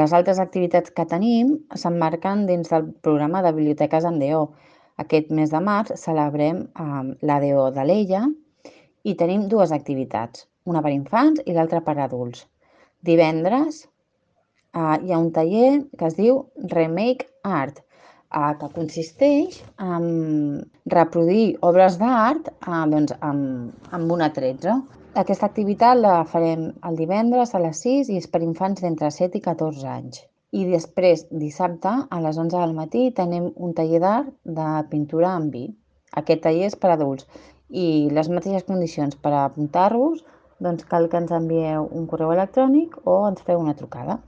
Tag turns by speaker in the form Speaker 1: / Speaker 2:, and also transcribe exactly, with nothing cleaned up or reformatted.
Speaker 1: Les altres activitats que tenim s'emmarquen dins del programa de Biblioteques amb D O. Aquest mes de març celebrem eh, l'A D O de l'Ella i tenim dues activitats, una per infants i l'altra per adults. Divendres eh, hi ha un taller que es diu Remake Art, eh, que consisteix en reproduir obres d'art eh, doncs, amb, amb una tretze. Aquesta activitat la farem el divendres a les sis i és per infants d'entre set i catorze anys. I després, dissabte, a les onze del matí, tenim un taller d'art de pintura amb vi. Aquest taller és per adults i les mateixes condicions per apuntar-vos, doncs cal que ens envieu un correu electrònic o ens feu una trucada.